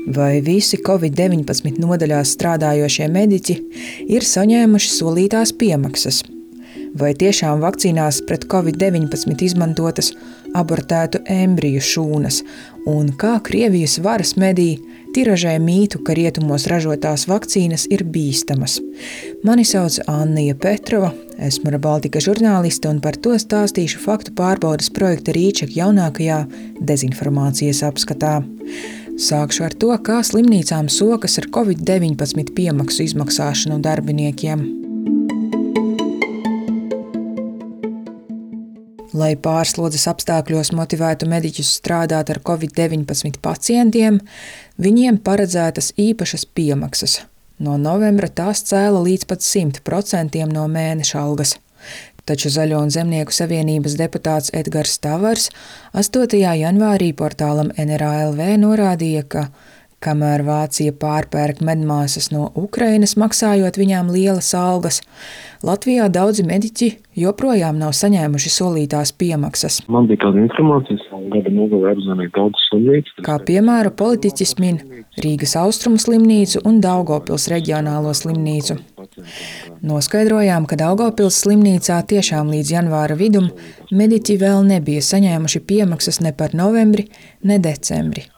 Vai visi Covid-19 nodaļās strādājošie mediķi ir saņēmuši solītās piemaksas? Vai tiešām vakcīnās pret Covid-19 izmantotas abortētu embriju šūnas? Un kā Krievijas varas mediji tiražē mītu, ka rietumos ražotās vakcīnas ir bīstamas? Mani sauc Annija Petrova, esmu Baltika žurnāliste un par to stāstīšu faktu pārbaudes projekta Rīček jaunākajā dezinformācijas apskatā. Sākšu ar to, kā slimnīcām sokas ar Covid-19 piemaksu izmaksāšanu darbiniekiem. Lai pārslodzes apstākļos motivētu mediķus strādāt ar Covid-19 pacientiem, viņiem paredzētas īpašas piemaksas. No novembra tās cēla līdz pat 100% no mēneša algas. Taču Zaļo un Zemnieku savienības deputāts Edgars Tavars 8. janvārī portālam NRA.lv norādīja, ka kamēr Vācija pārpērk medmāsas no Ukrainas, maksājot viņām lielas algas, Latvijā daudzi mediķi joprojām nav saņēmuši solītās piemaksas. Man bija kāda informācija, gada nogalē apzvanīja daudz slimnīcu. Kā piemēru politiķis min Rīgas Austrumu slimnīcu un Daugavpils reģionālo slimnīcu. Noskaidrojām, ka Daugavpils slimnīcā tiešām līdz janvāra vidum mediķi vēl nebija saņēmuši piemaksas ne par novembri, ne decembri.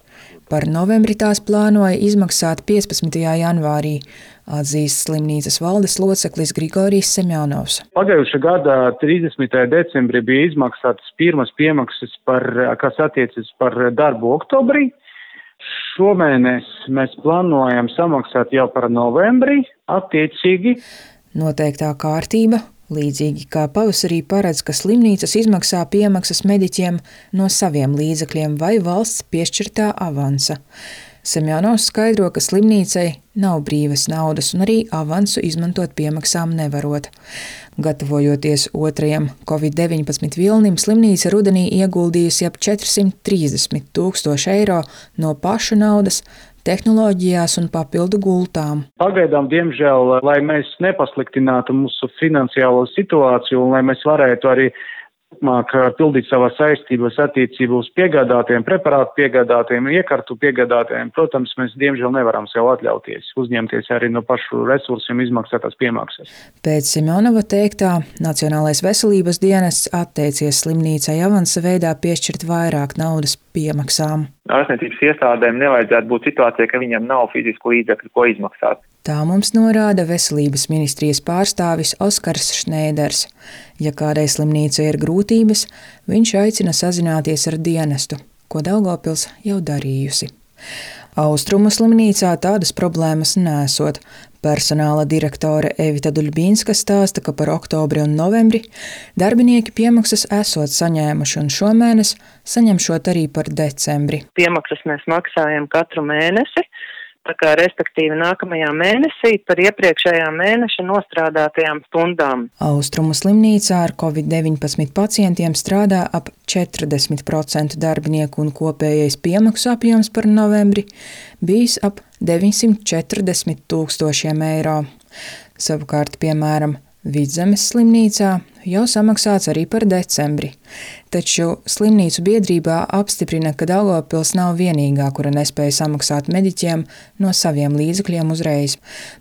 Par novembri tās plānoja izmaksāt 15. janvārī, atzīst slimnīcas valdes loceklis Grigorijs Semjonovs. Pagājušā gada 30. decembrī bija izmaksātas pirmas piemaksas, kas attiecas par darbu oktobrī. Šomēnes mēs plānojam samaksāt jau par novembri, attiecīgi. Noteiktā kārtība, līdzīgi kā pavasarī paredz, ka slimnīcas izmaksā piemaksas mediķiem no saviem līdzekļiem vai valsts piešķirtā avansa. Semjonovs skaidro, ka slimnīcai nav brīvas naudas un arī avansu izmantot piemaksām nevarot. Gatavojoties otrajam Covid-19 vilnim, slimnīca rudenī ieguldījusi ap 430 000 eiro no pašu naudas, tehnoloģijās un papildu gultām. Pagaidām, diemžēl, lai mēs nepasliktinātu mūsu finansiālo situāciju un lai mēs varētu arī pildīt savas saistības attiecībā uz piegādātiem, preparātu piegādātiem, iekartu piegādātiem. Protams, mēs diemžēl nevaram sev atļauties uzņemties arī no pašu resursiem izmaksātās piemaksas. Pēc Semjonova teiktā, Nacionālais veselības dienests atteicies slimnīcai avansa veidā piešķirt vairāk naudas piemaksām. Ārstniecības iestādēm nevajadzētu būt situācijai, ka viņam nav fizisku līdzekļu, ko izmaksāt. Tā mums norāda veselības ministrijas pārstāvis Oskars Šnēders. Ja kādai slimnīcai ir grūtības, viņš aicina sazināties ar dienestu, ko Daugavpils jau darījusi. Austrumu slimnīcā tādas problēmas nesot. Personāla direktore Evita Duļbīnska stāsta, ka par oktobri un novembri darbinieki piemaksas esot saņēmuši un šomēnes saņemšot arī par decembri. Piemaksas mēs maksājam katru mēnesi. Tā kā respektīvi nākamajā mēnesī par iepriekšējā mēneša nostrādātajām stundām. Austrumu slimnīcā ar Covid-19 pacientiem strādā ap 40% darbinieku un kopējais piemaksu apjoms par novembri bijis ap 940 000 eiro. Savukārt, piemēram, Vidzemes slimnīcā jau samaksāts arī par decembri. Taču slimnīcu biedrībā apstiprina, ka Daugavpils nav vienīgā, kura nespēja samaksāt mediķiem no saviem līdzekļiem uzreiz.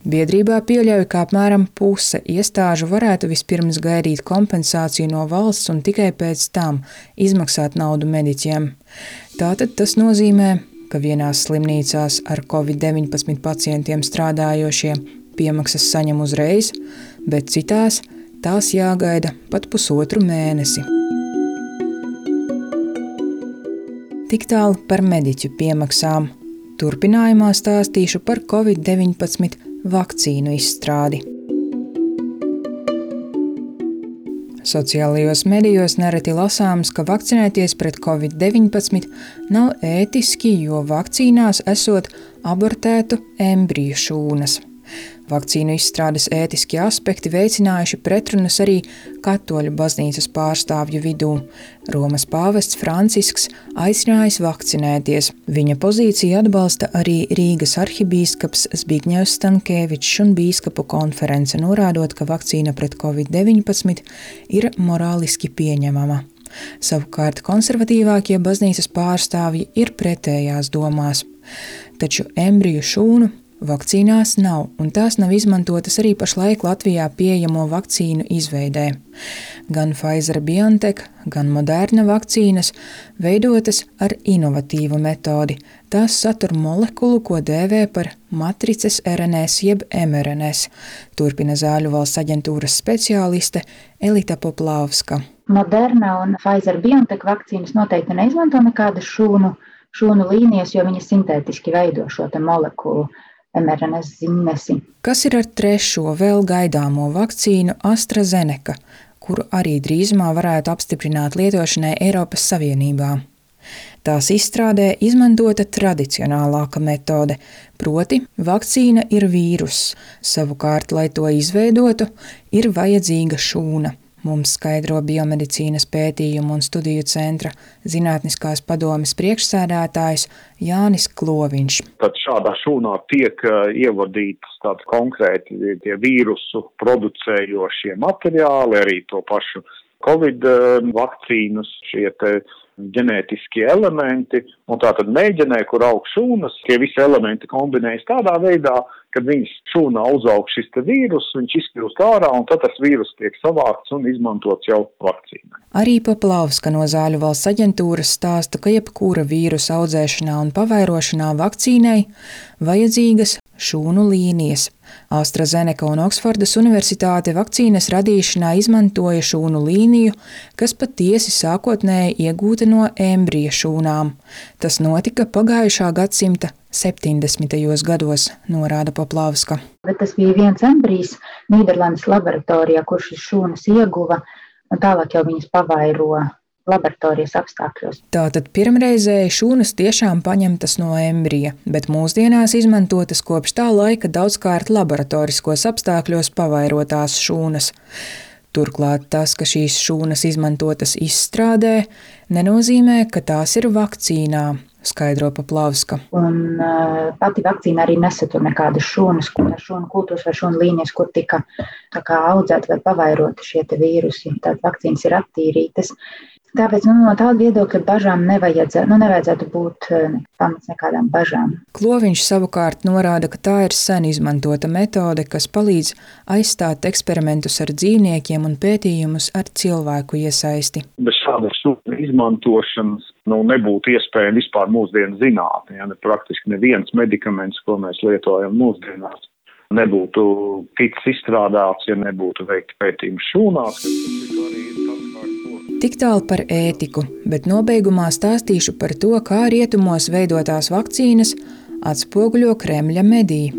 Biedrībā pieļauj, ka apmēram puse iestāžu varētu vispirms gaidīt kompensāciju no valsts un tikai pēc tam izmaksāt naudu mediķiem. Tātad tas nozīmē, ka vienās slimnīcās ar Covid-19 pacientiem strādājošie piemaksas saņem uzreiz, bet citās tās jāgaida pat pusotru mēnesi. Tik tālu par mediķu piemaksām. Turpinājumā stāstīšu par Covid-19 vakcīnu izstrādi. Sociālajos medijos nereti lasāms, ka vakcinēties pret Covid-19 nav ētiski, jo vakcīnās esot abortētu embriju šūnas. Vakcīnu izstrādes ētiskie aspekti veicinājuši pretrunas arī katoļu baznīcas pārstāvju vidū. Romas pāvests Francisks aicinājis vakcinēties. Viņa pozīciju atbalsta arī Rīgas arhibīskaps Zbigņevs Stankēvičs un bīskapu konference, norādot, ka vakcīna pret Covid-19 ir morāliski pieņemama. Savukārt konservatīvākie baznīcas pārstāvji ir pretējās domās. Taču embriju šūnu vakcīnās nav, un tās nav izmantotas arī pašlaik Latvijā pieejamo vakcīnu izveidē. Gan Pfizer-BioNTech, gan Moderna vakcīnas veidotas ar inovatīvu metodi. Tās satur molekulu, ko dēvē par matrices RNS jeb mRNS, turpina Zāļu valsts aģentūras speciāliste Elita Poplavska. Moderna un Pfizer-BioNTech vakcīnas noteikti neizmanto nekādas šūnu līnijas, jo viņas sintētiski veido šo te molekulu. mRNS zīmesi. Kas ir ar trešo vēl gaidāmo vakcīnu AstraZeneca, kuru arī drīzumā varētu apstiprināt lietošanai Eiropas Savienībā? Tās izstrādē izmantota tradicionālāka metode, proti vakcīna ir vīruss. Savukārt, lai to izveidotu, ir vajadzīga šūna. Mums skaidro Biomedicīnas pētījumu un studiju centra zinātniskās padomes priekšsēdētājs Jānis Kloviņš. Tad šādā šūnā tiek ievadītas tādi konkrēti tie vīrusu producējošie materiāli, arī to pašu Covid vakcīnas, šie te ģenētiskie elementi, un tātad mēģinē, kur aug šūnas, tie visi elementi kombinējas tādā veidā, kad viņas šūnā uzaug šis te vīrus, viņš izkļūst ārā, un tad tas vīrus tiek savākts un izmantots jau vakcīnai. Arī Poplavska no Zāļu valsts aģentūras stāsta, ka jebkura vīrusa audzēšanā un pavairošanā vakcīnai vajadzīgas šūnu līnijas. AstraZeneca un Oksfordas universitāte vakcīnas radīšanā izmantoja šūnu līniju, kas patiesi sākotnēji iegūta no embrija šūnām. Tas notika pagājušā gadsimta 70. gados, norāda Poplavska. Bet tas bija viens embrijs Nīderlandes laboratorijā, kurš šīs šūnas ieguva, un tālāk jau viņas pavairo laboratorijas apstākļos. Tātad pirmreizēji šūnas tiešām paņemtas no embrija, bet mūsdienās izmantotas kopš tā laika daudzkārt laboratoriskos apstākļos pavairotās šūnas. Turklāt tas, ka šīs šūnas izmantotas izstrādē, nenozīmē, ka tās ir vakcīnā, skaidro Poplavska. Un pati vakcīna arī nesatur nekādas šūnas, šūnu kultūras vai šūnu līnijas, kur tika audzēti vai pavairoti šie te vīrusi. Tātad vakcīnas ir attīrītas. Tāpēc no tāda viedokļa bažām nevajadzētu būt pamats nekādām bažām. Kloviņš savukārt norāda, ka tā ir sen izmantota metode, kas palīdz aizstāt eksperimentus ar dzīvniekiem un pētījumus ar cilvēku iesaisti. Bez šādas šūnu izmantošanas nebūtu iespējama vispār mūsdienu zinātne. Praktiski neviens medikaments, ko mēs lietojam mūsdienās, nebūtu ticis izstrādāts, ja nebūtu veikti pētījumi šūnās. Tik tālu par ētiku, bet nobeigumā stāstīšu par to, kā rietumos veidotās vakcīnas atspoguļo Kremļa mediji.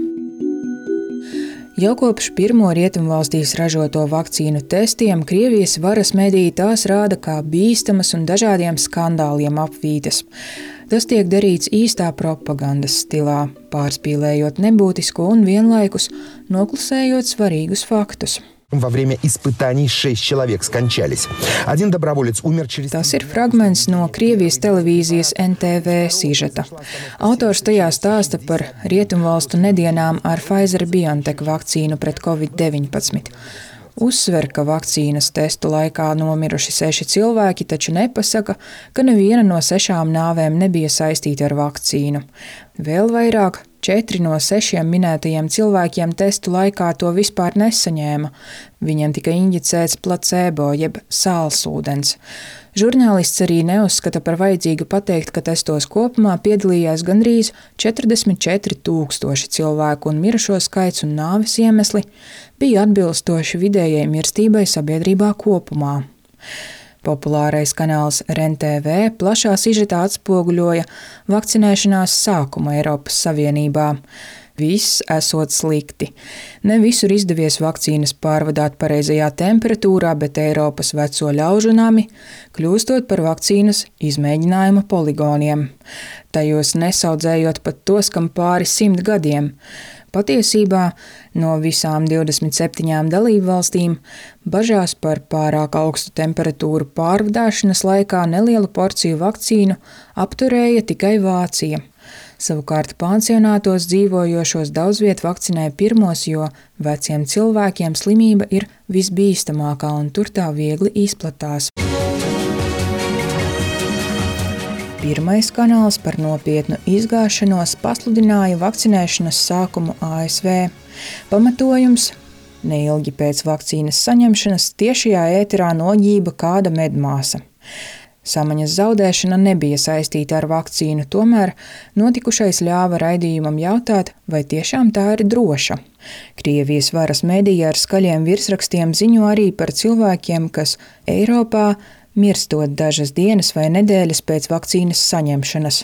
Jau kopš pirmo rietumvalstīs ražoto vakcīnu testiem Krievijas varas mediji tās rāda kā bīstamas un dažādiem skandāliem apvītas. Tas tiek darīts īstā propagandas stilā, pārspīlējot nebūtisko un vienlaikus noklusējot svarīgus faktus. Во время испытаний 6 человек скончались. Один доброволец умер через... Tas ir fragments no Krievijas televīzijas NTV sižeta. Autors tajā stāsta par rietumvalstu nedienām ar Pfizer-BioNTech vakcīnu pret Covid-19. Uzsver, ka vakcīnas testu laikā nomiruši 6 cilvēki, taču nepasaka, ka neviena no 6 nāvēm nebija saistīta ar vakcīnu. Vēl vairāk, 4 no 6 minētajiem cilvēkiem testu laikā to vispār nesaņēma. Viņiem tika injicēts placebo jeb sālsūdens. Žurnālists arī neuzskata par vajadzīgu pateikt, ka testos kopumā piedalījās gandrīz 44 000 cilvēku un mirušo skaits un nāves iemesli bija atbilstoši vidējai mirstībai sabiedrībā kopumā. Populārais kanāls REN-TV plašā sižetā atspoguļoja vakcinēšanās sākumu Eiropas Savienībā. Viss esot slikti. Ne visur izdevies vakcīnas pārvadāt pareizajā temperatūrā, bet Eiropas veco ļaužu nami kļūstot par vakcīnas izmēģinājuma poligoniem. Tajos nesaudzējot pat tos, kam pāri 100 gadiem. Patiesībā no visām 27 dalību valstīm bažās par pārāk augstu temperatūru pārvadāšanas laikā nelielu porciju vakcīnu apturēja tikai Vācija. Savukārt pansionātos dzīvojošos daudz viet vakcinē pirmos, jo veciem cilvēkiem slimība ir visbīstamākā un tur tā viegli izplatās. Pirmais kanāls par nopietnu izgāšanos pasludināja vakcinēšanas sākumu ASV. Pamatojums – neilgi pēc vakcīnas saņemšanas tiešajā ēterā noģība kāda medmāsa. Samaņas zaudēšana nebija saistīta ar vakcīnu, tomēr notikušais ļāva raidījumam jautāt, vai tiešām tā ir droša. Krievijas varas medija ar skaļiem virsrakstiem ziņo arī par cilvēkiem, kas Eiropā mirstot dažas dienas vai nedēļas pēc vakcīnas saņemšanas.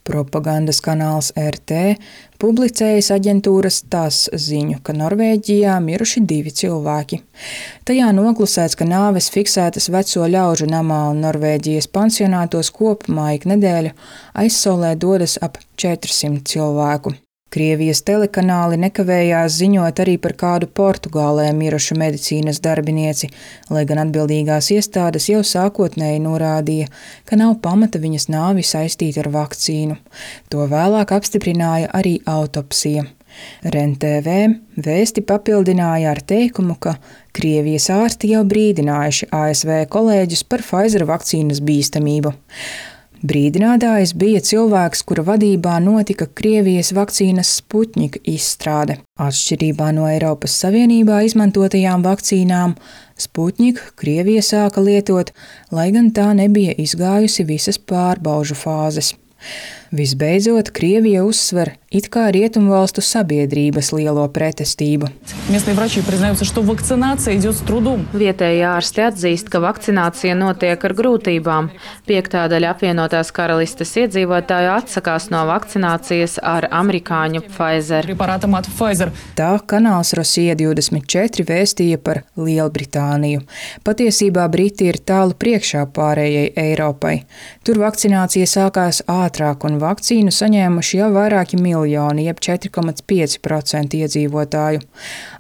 Propagandas kanāls RT publicējas aģentūras TASS ziņu, ka Norvēģijā miruši 2 cilvēki. Tajā noklusēts, ka nāves fiksētas veco ļaužu namā un Norvēģijas pansionātos kopumā ik nedēļu aizsaulē dodas ap 400 cilvēku. Krievijas telekanāli nekavējās ziņot arī par kādu Portugālē mirušu medicīnas darbinieci, lai gan atbildīgās iestādes jau sākotnēji norādīja, ka nav pamata viņas nāvi saistīt ar vakcīnu. To vēlāk apstiprināja arī autopsija. REN-TV vēsti papildināja ar teikumu, ka Krievijas ārsti jau brīdinājuši ASV kolēģus par Pfizer vakcīnas bīstamību. Brīdinātājs bija cilvēks, kura vadībā notika Krievijas vakcīnas Sputņika izstrāde. Atšķirībā no Eiropas Savienībā izmantotajām vakcīnām, Sputņika Krievija sāka lietot, lai gan tā nebija izgājusi visas pārbaužu fāzes. Visbeidzot, Krievija uzsver it kā rietumvalstu sabiedrības lielo pretestību. Vietējie ārsti atzīst, ka vakcinācija notiek ar grūtībām. 5/5 apvienotās karalistes iedzīvotāju atsakās no vakcinācijas ar amerikāņu Pfizer. Tā kanāls Rosija 24 vēstīja par Lielbritāniju. Patiesībā Briti ir tālu priekšā pārējai Eiropai. Tur vakcinācija sākās ātrāk un vakcīnu saņēmuši jau vairāki miljoni, jeb 4,5% iedzīvotāju.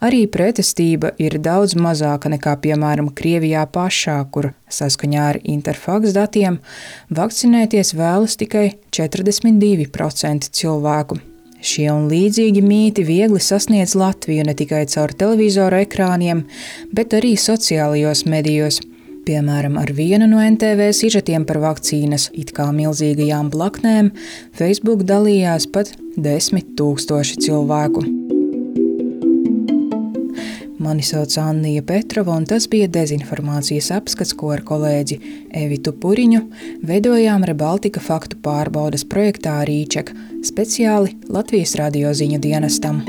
Arī pretestība ir daudz mazāka nekā, piemēram, Krievijā pašā, kur saskaņā ar Interfax datiem vakcinēties vēlas tikai 42% cilvēku. Šie un līdzīgi mīti viegli sasniedz Latviju ne tikai caur televizoru ekrāniem, bet arī sociālajos medijos. Piemēram, ar vienu no NTV sižetiem par vakcīnas it kā milzīgajām blaknēm Facebook dalījās pat 10 000 cilvēku. Mani sauc Annija Petrova, un tas bija dezinformācijas apskats, ko ar kolēģi Evitu Puriņu veidojām Rebaltika faktu pārbaudes projektā Rīček, speciāli Latvijas radio ziņu dienestam.